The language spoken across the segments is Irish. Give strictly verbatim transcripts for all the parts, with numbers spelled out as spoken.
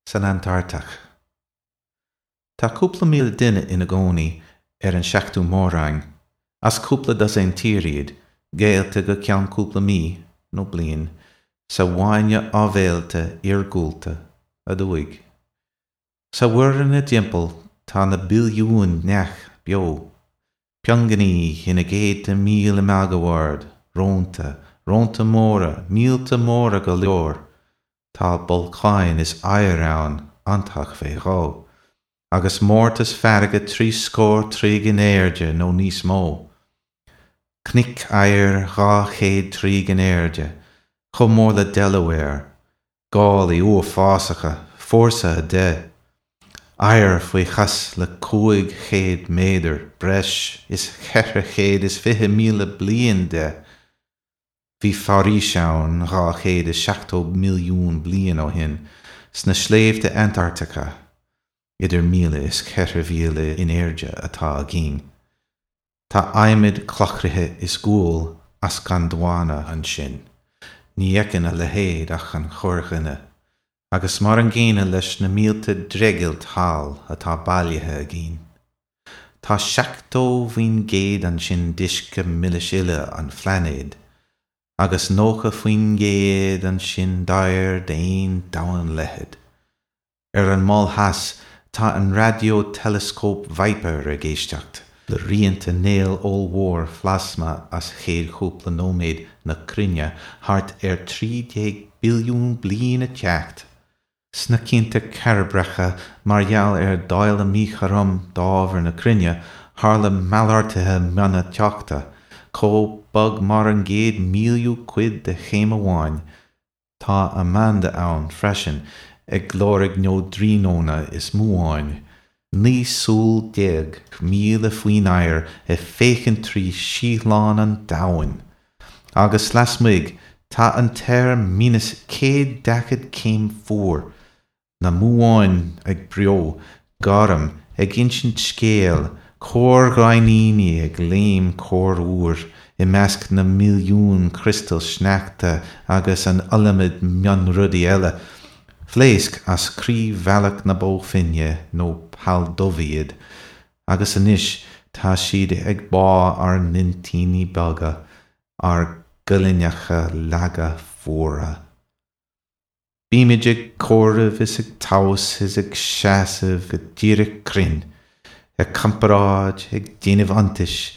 san Antartach. Tá cúpla míle duine ina gcónaí ar an seachtú mór-roinn, as cúpla dosaen tír iad, géillte go ceann cúpla mí, nó bliain, sa bhfáinne áibhéalta iargúlta aduaidh. Sa mhuir ina dtimpeall tá na billiúin neach beo, piongainí ina gcéadta míle máguaird, rónta, rónta móra, míolta móra go leor. Tá bolcáin is oighear ann, iontach fé dhó, agus mórtas farraige trí scór troigh in airde nó níos mó. Cnoic oighir dhá chéad troigh in airde, chomh mór le Delaware, gálaí uafásacha, fórsa a deich, oighear faoi chos le cúig chéad méadar, breis is ceithre chéad is fiche míle bliain de. Bhí foraois ann dhá chéad is seachtó milliún bliain ó shin, sna sléibhte Antartacha, idir míle is ceithre mhíle in airde atá againn. Tá adhmad clochchroithe is gual as Gondwana ansin. Ní fheiceann a leithéid ach an corrdhuine, agus mar an gcéanna leis na mílte dreighilt thall atá bailithe againn. Tá seachtó faoin gcéad ansin d'uisce milis uile an phláinéid, agus nócha faoin gcéad ansin d'oighear d'aon domhanleithead. Ar an Mol Theas tá an raidió-teileascóp Viper ag éisteacht le rianta néal ollmhór phlasma as chéad chúpla nóiméad na cruinne thart ar trí déag billiún bliain ag teacht. Sna cianta cairbreacha mar gheall ar dáileadh míchothrom d'ábhar na cruinne, tharla malartuithe miona teochta, chomh bog mar an gcéad míliú cuid de chéim amháin. Tá Amanda ann freisin, ag lorg neoidríonónna is múáin, naoi súil déag míle faoin aer ag féachaint trí síothlán an domhain. Agus lasmuigh, tá an t-aer míneas céad daichead céim fuar, na múáin ag breo, gorm, ag insint scéil, corrghrainníní ag léim corruair i measc na milliún criostal sneachta agus an iliomad mionrudaí eile, phléasc as croí bhealach na Bó Finne nó poll dubh iad, agus anois tá siad ag bá ár n-intinní beaga, ár gcolainneacha laga fuara. Bímid ag comhaireamh is ag tomhas is ag seasamh go díreach cruinn, ag comparáid, ag déanamh iontais,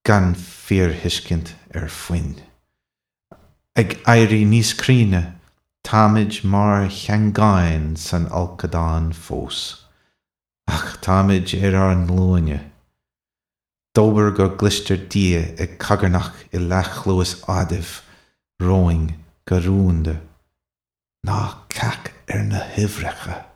gan fíorthuiscint ar puinn. Ag éirí níos cruinne, táimid mar sheangáin san fholcadán fós. Ach táimid ar ár nglúine. Dóbair go gcloistear Dia ag cogarnach i leathchluas Adaimh romhainn go rúnda. Ná cac ar na huimhreacha.